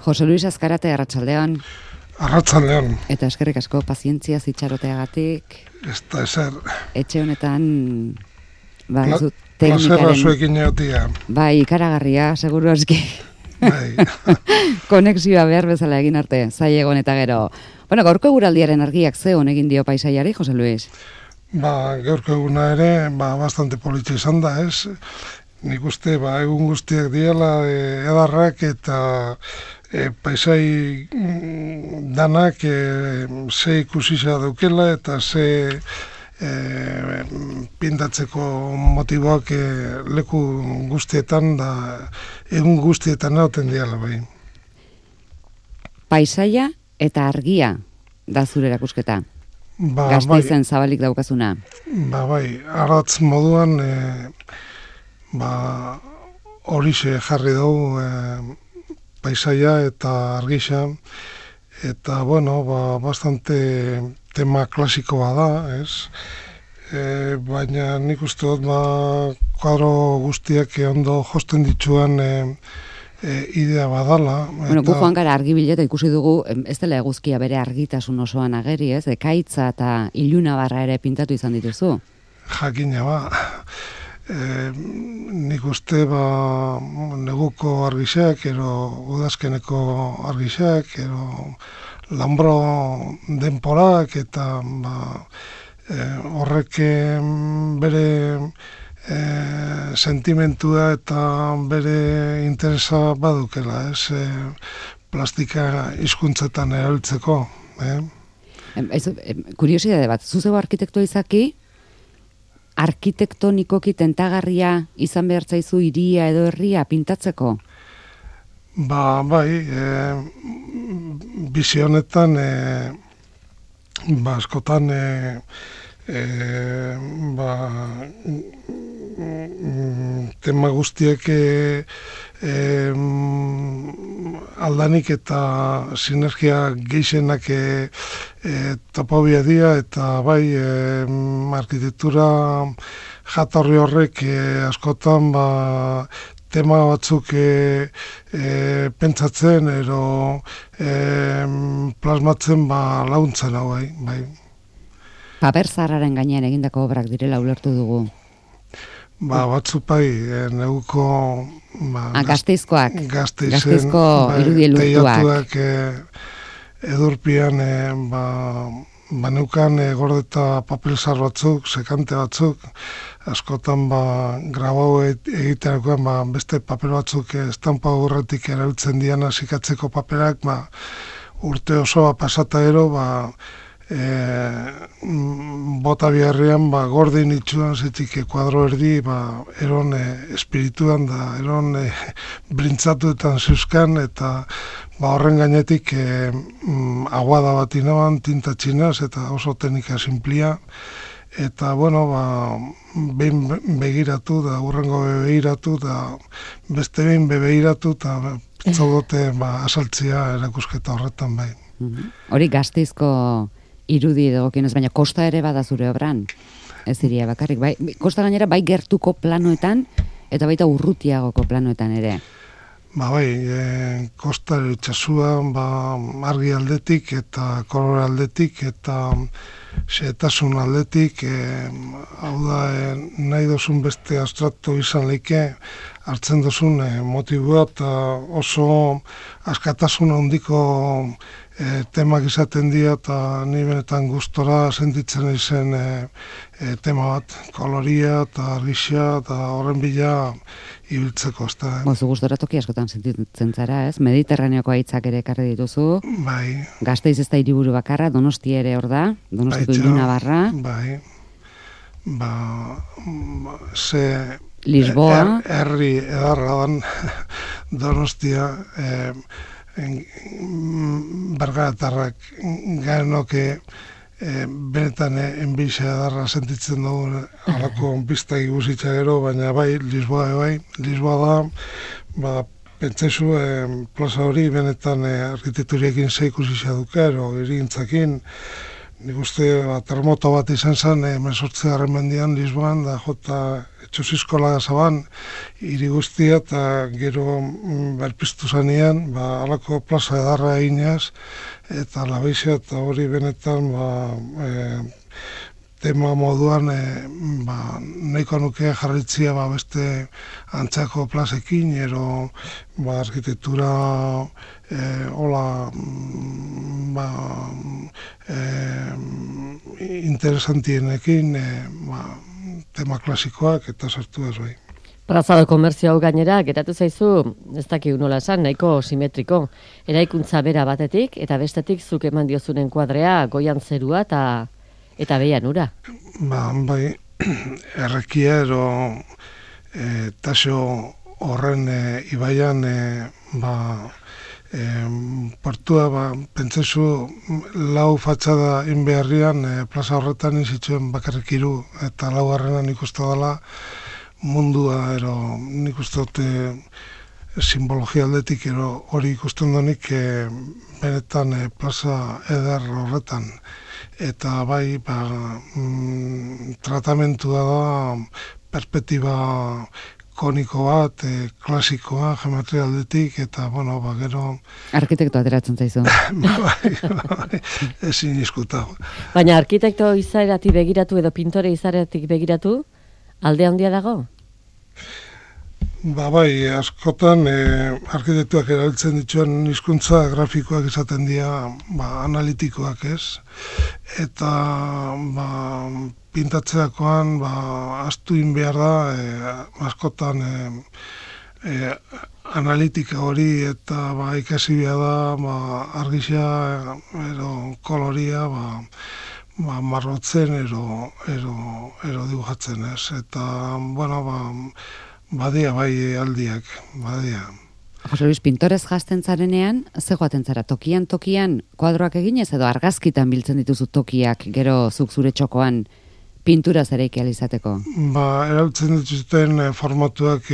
Jose Luis Azkarate, arratsaldean. Arratsaldean. Eta eskerrik asko pazientzia zitxaroteagatik. Ez da ezer. Etxe honetan, teknikaren... Plazerra zuekin egotia. Bai, ikaragarria, seguru aski. Bai. Konexioa behar bezala egin arte, zailegon eta gero. Bueno, gaurko eguraldiaren argiak ze honegin dio paisaiari, Jose Luis? Gaurko eguna ere, bastante politxe izan da, ez? Nik uste, egun guztiak diela edarrak eta paisai danak ze ikusisa daukela eta ze pintatzeko motiboak leku guztietan da egun guztietan egoten diala bai. Paisaia eta argia da zure erakusketa. Gasteizen zabalik daukazuna. Bai, aratz moduan horixe jarri dugu paisaia eta argisa eta bastante tema klasikoa da, ez? Baina nik uste dut kuadro guztiak ondo josten dituan idea badala. Bueno, gu joan gara argibileta ikusi dugu, ez dela eguzkia bere argitasun osoan ageri, ez? Ekaitza eta iluna barra ere pintatu izan dituzu. Jakina nik uste neguko argisak, ero udazkeneko argisak, ero lambro denporak eta horrek bere sentimentua eta bere interesa badukela, ez? Plastika hizkuntzetan erabiltzeko. Kuriosidade bat, zuzego arkitektua izaki, arkitektonikoki tentagarria izan behar zaizu hiria edo herria pintatzeko? Bai, bizi honetan askotan tema guztiek aldanik eta sinergia gehienak topobia dira eta bai arkitektura jatorri horrek askotan tema batzuk pentsatzen ero plasmatzen laguntzen hau bai. Paper zaharraren gainean egindako obrak direla ulertu dugu. Batzuk bai, neguko Gasteizkoak. Gasteizko irudielutuak. Edurpian neukan gordeta papel zahar batzuk, sekante batzuk, askotan grabau egiterakoan beste papel batzuk estampa urretik erabiltzen diana sikatzeko paperak, urte osoa pasata ero, bota biharrean gordin itxuan zetik kuadro erdi eron espirituan da eron brintzatuetan zeuzkan eta horren gainetik aguada bat inaban, tinta txinaz eta oso teknika simplia eta behin begiratu da urrengo begiratu da beste behin begiratu eta zaudote asaltzia erakusketa horretan bai. Hori Gasteizko irudi edogokienez, baina kosta ere bada zure obran. Ez diria bakarrik, bai. Kosta gainera bai gertuko planoetan eta baita urrutiagoko planoetan ere. Bai, kosta itxasua argi aldetik eta kolore aldetik eta xehetasun aldetik, hau da nahi dozun beste abstrakto izan leike hartzen dozun motiboa eta oso askatasun handiko temak izaten dira eta ni benetan gustora sentitzen izen tema bat, koloria eta argixia eta horren bila ibiltzeko. Zu gustora toki askotan sentitzen zara, ez? Mediterraneoko haitzak ere ekarri dituzu. Bai. Gasteiz ez da hiriburu bakarra, Donostia ere hor da, Donostiko iluna barra. Bai. Lisboa. Herri edarra dan Donostia, bergaratarrak gainoke benetan enbizia edarra sentitzen dugu alako pista igusitza gero, baina bai, Lisboa da, pentsezu plaza hori benetan arkitekturiekin ze ikusitza duke, ero irigintzakin, nik uste terremoto bat izan zen, 18. mendian Lisboan, da jota etxosiskola zaban, hiri guztia, eta gero berpiztu zanean, alako plaza edarra eginez, eta labeixia, eta hori benetan, tema moduan nahiko nuke jarritzia beste antzako plazekin, ero arkitektura interesantienekin tema klasikoak eta sartu ez bai. Plazado komerzio hau gainera, geratu zaizu, ez dakik nola esan, nahiko simetriko. Eraikuntza bera batetik, eta bestetik zuk eman diozunen kuadrea, goian zerua eta behian ura. Bai, errekia ero taso horren ibaian portua pentsezu lau fatxada inbeharrian plaza horretan izituen bakarrik hiru eta lau harrenan ikustu dela mundua ero nik uste dute simbologia aldetik ero hori ikusten donik benetan plaza eder horretan. Eta bai, tratamentua da perspektiba koniko bat, klasikoa, geometria aldetik, eta, gero... Arkitekto ateratzen zaizu. Bai, ezin izkutago. Baina arkitekto izaeratik begiratu edo pintore izaeratik begiratu, alde handia dago? Bai, askotan arkitektuak erabiltzen dituen hizkuntza grafikoak izaten dira analitikoak ez. Eta pintatzeakoan astu behar da askotan analitika hori eta ikasi behar da argixia edo koloria marrotzen ero dibujatzen ez. Eta, badia bai aldiak, badia. Jose Luis, pintorez jazten zarenean, ze joaten zara, tokian kuadroak eginez edo argazkitan biltzen dituzu tokiak, gero zuk zure txokoan pintura zereiki alizateko? Erabiltzen dituzten formatuak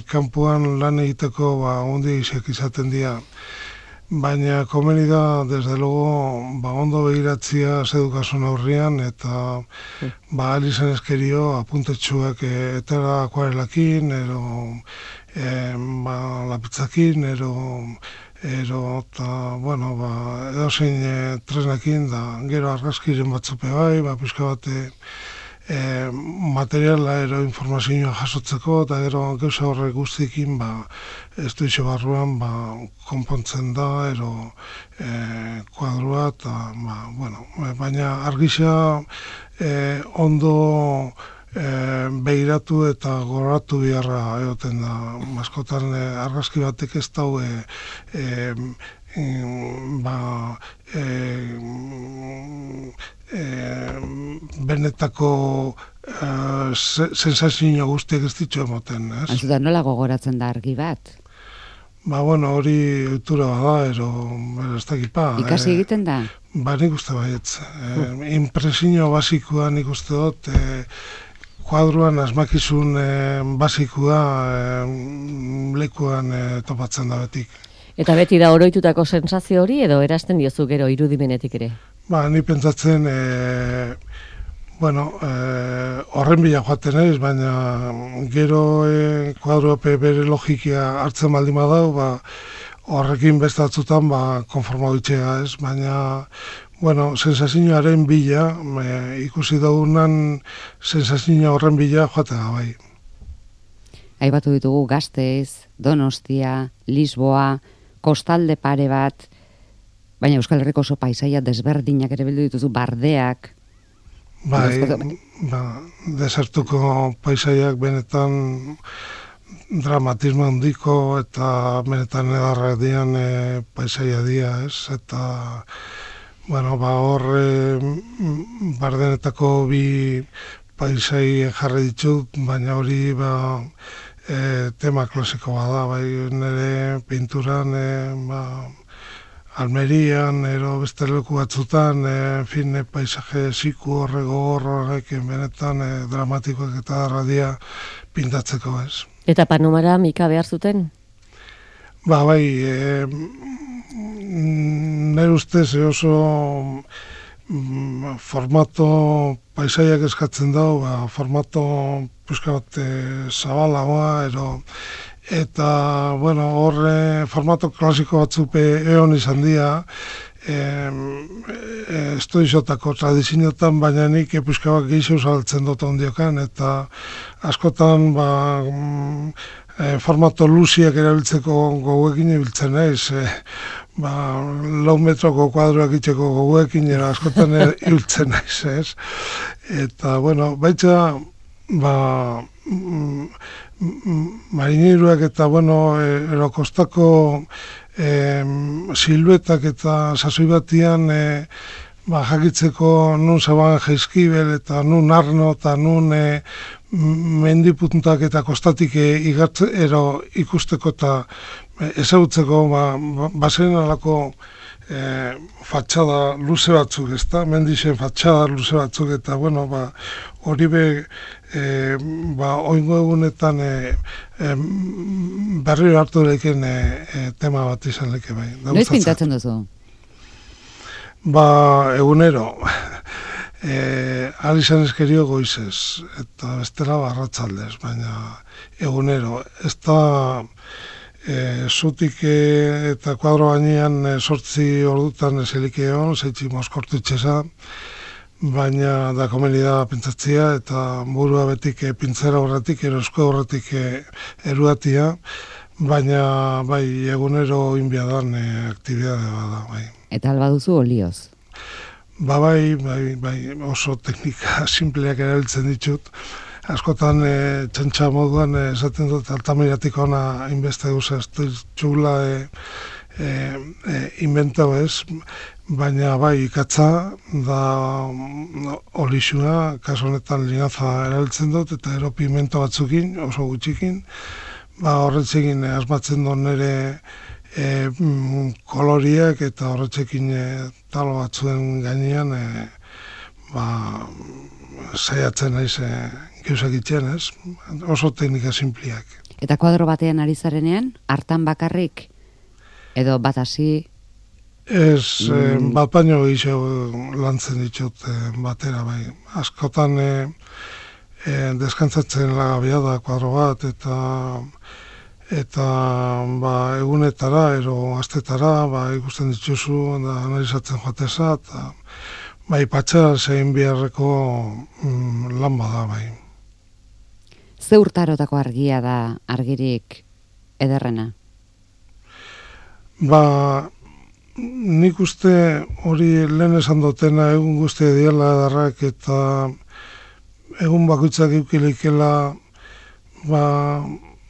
kanpuan lan egiteko ondi izaten dira. Baina komeni da, desde luego, ondo behiratzia zedukasun aurrian, eta alizan eskerio apuntetxuak etera akuarelakin, ero lapitzakin, ero eta, edo zein tresnekin, da gero argazkiren batzope bai, pixka bate materiala ero informazioa jasotzeko, eta gero gauza horrek guztiekin ez du iso barruan konpontzen da ero kuadroa eta baina argisa ondo behiratu eta goratu biharra egoten da. Askotan argazki batek ez dau benetako sensazio guztiak ez ditu emoten, ez? Antzuta, nola gogoratzen da argi bat? Hori ohitura bada, ero ez dakipa. Ikasi egiten da? Nik uste baietz. Impresio basikoa nik uste dut, kuadroan asmakizun basikoa lekuan topatzen da betik. Eta beti da oroitutako sensazio hori edo erazten diozu gero irudimenetik ere? Ni pentsatzen, horren bila joaten ez, baina gero kuadrope bere logikia hartzen baldin badau, horrekin beste batzutan konforma ditxea ez, baina sensazioaren bila, ikusi daunan sensazio horren bila joatea bai. Aipatu ditugu Gasteiz, Donostia, Lisboa, kostalde pare bat, baina Euskal Herriko oso paisaia desberdinak ere bildu dituzu, bardeak. Desertuko paisaiak benetan dramatismo handiko eta benetan edarra dian paisaia dia, ez? Eta, hor bardenetako bi paisai jarri ditut, baina hori tema klasiko bada, nire pinturan, Almerian, ero beste leku batzutan, paisaje ziku horrek benetan dramatikoak eta darradia pintatzeko ez. Eta panomara mika behar zuten? Nire ustez oso formato paisaiak eskatzen dau, formato pixka bat zabalagoa, eta, bueno, horre formato klasiko batzuk egon izan dira, estudiotako tradizioetan, baina nik pixka bat gehiago saltzen dut ondiokan, eta askotan formato luziak erabiltzeko goguekin ibiltzen naiz, 4 metroko kuadroak itxeko goguekin askotan ibiltzen naiz, ez? Eta, bueno, baitza, marineruak eta, bueno, erokostako siluetak eta sasoi batian jakitzeko nun zaban jaizkibel eta nun arno eta nun mendipuntak eta kostatik ikusteko eta ezagutzeko bazen alako fatxada luze batzuk, ezta? Mendixen fatxada luze batzuk eta, bueno, hori oingo egunetan berriro hartu leken tema bat izan leke bai. Noiz pintatzen duzu? Egunero. Alizan eskerio goizez, eta bestela arratsaldez, baina egunero. Ez da zutik eta kuadro gainean 8 ordutan eselik egon, 6 moskortu itxesa, baina da komeni da pentsatzea eta burua betik pintzera horretik, erosko horretik eruatia, baina bai egunero inbiadan aktibidade bada. Bai. Eta alba duzu olioz? Bai, oso teknika simpleak erabiltzen ditut. Askotan txantxa moduan esaten dut altamiratik ona inbeste guza, ez dut txula inventau ez, baina bai ikatza da olixua, kaso honetan linaza erabiltzen dut, eta ero pigmento batzukin, oso gutxikin, horretzekin asmatzen dut nire koloriak eta horretzekin talo batzuen gainean saiatzen naiz gauzak itxen, ez? Oso teknika simpliak. Eta kuadro batean ari zarenean, hartan bakarrik? Edo bat hasi? Ez, bat baino gehiago lantzen ditut batera, bai. Askotan deskantzatzen lagabia da kuadro bat, eta egunetara, astetara, ikusten dituzu, da analizatzen joateza, eta bai, patxa zein biharreko lan bada, bai. Ze urtarotako argia da argirik ederrena? Nik uste hori lehen esan dutena egun guztia diela edarrak eta egun bakoitzak eukilikela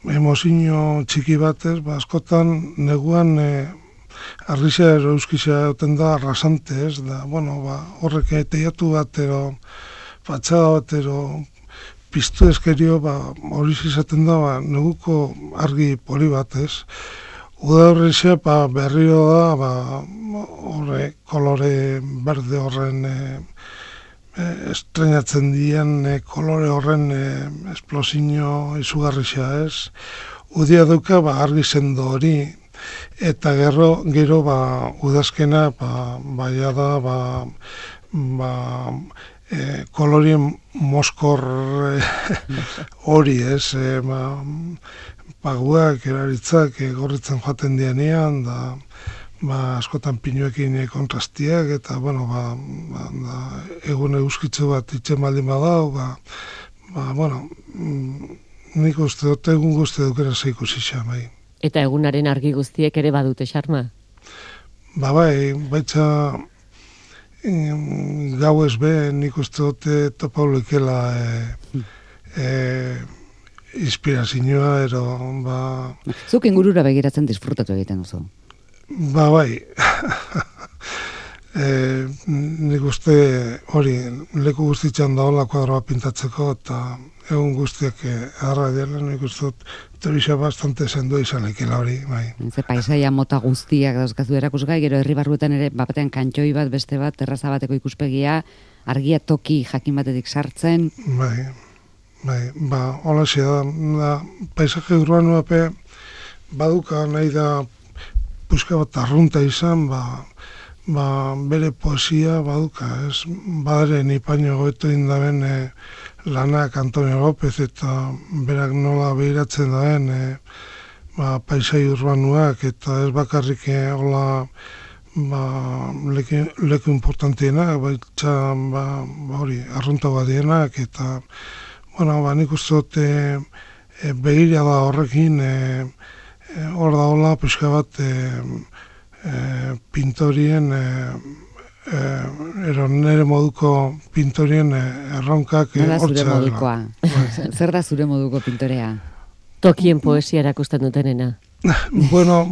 emozio txiki batez, askotan neguan argisa euskisa egoten da arrasante, ez da, horrek teiatu bat, fatxada bat, piztu eskerio, hori izaten da, neguko argi poli bat, ez. Uda horrexea, berriro da, horre, kolore berde horren estrenatzen dien, kolore horren esplosio izugarrixea, ez. Udia duka, argi sendo hori, eta gero udazkena baia da kolorien moskor hori, ez, paguak, eraritzak gorritzen joaten dianean, askotan pinuekin kontrastiak, eta, egun euskitzu bat itxen baldin badau, nik uste dut egun guzti dukera zeiko zisa, bai. Eta egunaren argi guztiek ere badute xarma? Baitza gau ez be, nik uste dute topaulikela inspirazioa, Zuk ingurura begiratzen disfrutatu egiten duzu? Nik uste hori leku guztitzen daola kuadroa pintatzeko, eta egun guztiak agarra dira, nik uste dut teoria bastante sendo izan ekela hori, bai. Ze paisaia mota guztiak dauzkazu erakusgai, gero herri barruetan ere, batean kantxoi bat, beste bat, terraza bateko ikuspegia, argia toki jakin batetik sartzen. Hola da, paisaje urbanoa baduka nahi da puska bat arrunta izan, bere poesia baduka, ez? Badaren ipaino goeto indaben lanak Antonio López eta berak nola behiratzen daen paisai urbanuak eta ez bakarrik hola leku importantienak, baitza hori, arrunta badienak eta nik uste dut begira da horrekin hor da hola pixka bat pintorien nere moduko pintorien erronkak hortza zure modukoa. Zer da zure moduko pintorea? Tokien poesia erakusten dutenena. Bueno,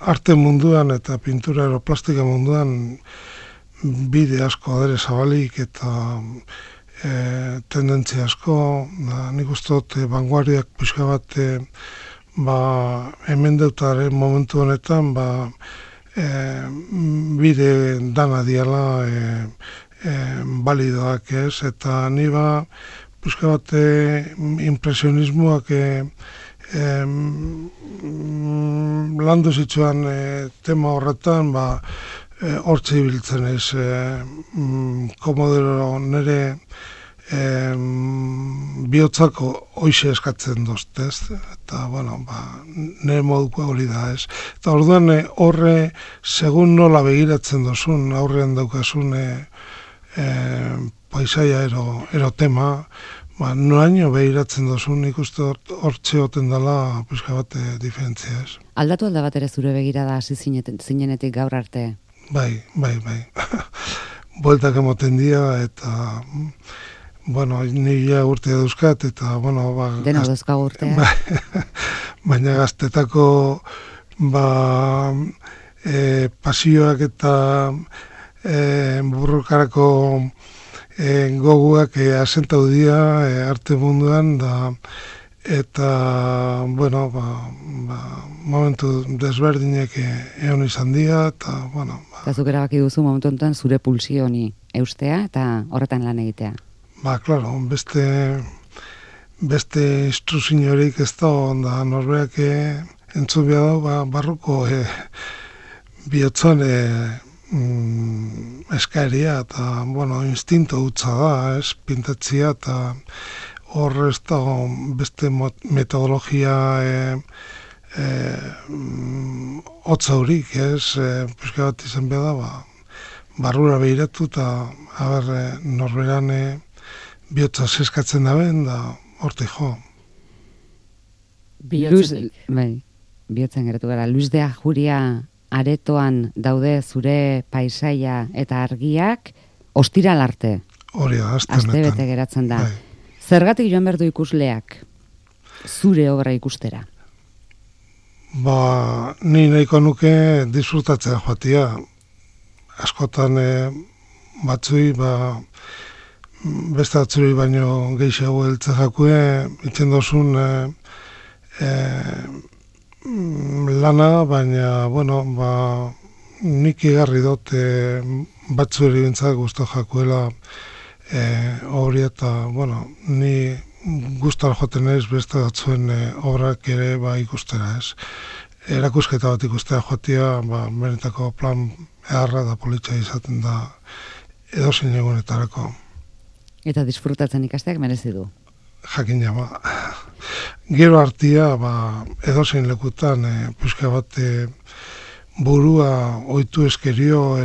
arte munduan eta pintura aeroplastika munduan bide asko adere zabalik eta tendentzia asko, nik uste dut vanguardiak pixka bat hemen deutaren momentu honetan bide dana diala balidoak ez, eta ni pixka bat impresionismoak landu zituen tema horretan hortze ibiltzen ez komodero nire bihotzako hoize eskatzen dozt, ez? Eta, nire moduko hori da, ez? Eta orduan horre, segun nola begiratzen dozun, aurrean daukasun paisaia ero tema, noaino begiratzen dozun, ikuste hortze hoten dela pixka bat diferentzia, ez? Aldatu alda bat ere zure begirada hasi zinenetik gaur arte? Bai. Bueltak emoten dira, eta ni ja urtea dauzkat, eta dena dauzkagu urtea. Baina gaztetako pasioak eta burrukarako goguak asentau dira arte munduan, eta momentu desberdinek egon izan dira, eta Eta zuk erabaki duzu momentu honetan zure pulsio honi eustea eta horretan lan egitea. Claro, beste instruziorik ez da, norberak entzun behar da, barruko bihotzan eskaeria, eta, instinto hutsa da, ez, pintatzia, eta hor ez da beste metodologia hotza horik, ez, pixka bat izan behar da, barrura behiratu, eta norberan bihotza zeskatzen daben, da horte jo. Bihotzen geratu gara. Luis de Ajuria aretoan daude zure paisaia eta argiak ostiral arte. Hori da, aste bete geratzen da. Zergatik joan behar du ikusleak zure obra ikustera? Ni nahiko nuke disfrutatzea joatia. Askotan batzui, beste batzuri baino gehiago heltze jakue, itzen dozun lana, baina, nik igarri dut batzuri bintzak guztu jakuela hori eta, ni guztar joaten ez beste batzuen obrak ere ikustera ez. Erakusketa bat ikustera joatia, benetako plan eharra da politxa izaten da edozein egunetarako. Eta disfrutatzen ikasteak merezi du. Jakina, gero hartia, edozein lekutan, pixka bat burua ohitu eskerio,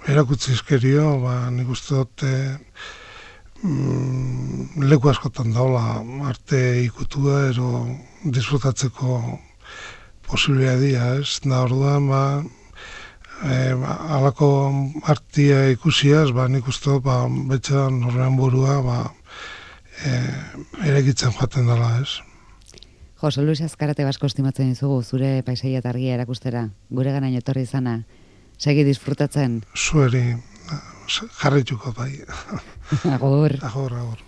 erakutzi eskerio, nik uste dut leku askotan daula arte ikutua, disfrutatzeko posibilitatea, ez? Da orduan, alako artia ikusiaz, nik uste dut, betxean horrean burua, erekitzen joaten dela, ez? Jose Luis Azkarate Basko estimatzen dizugu zure paisaia eta argia erakustera, gure ganaino etorri izana, segi disfrutatzen. Zueri, jarrituko bai. Agur. Agur.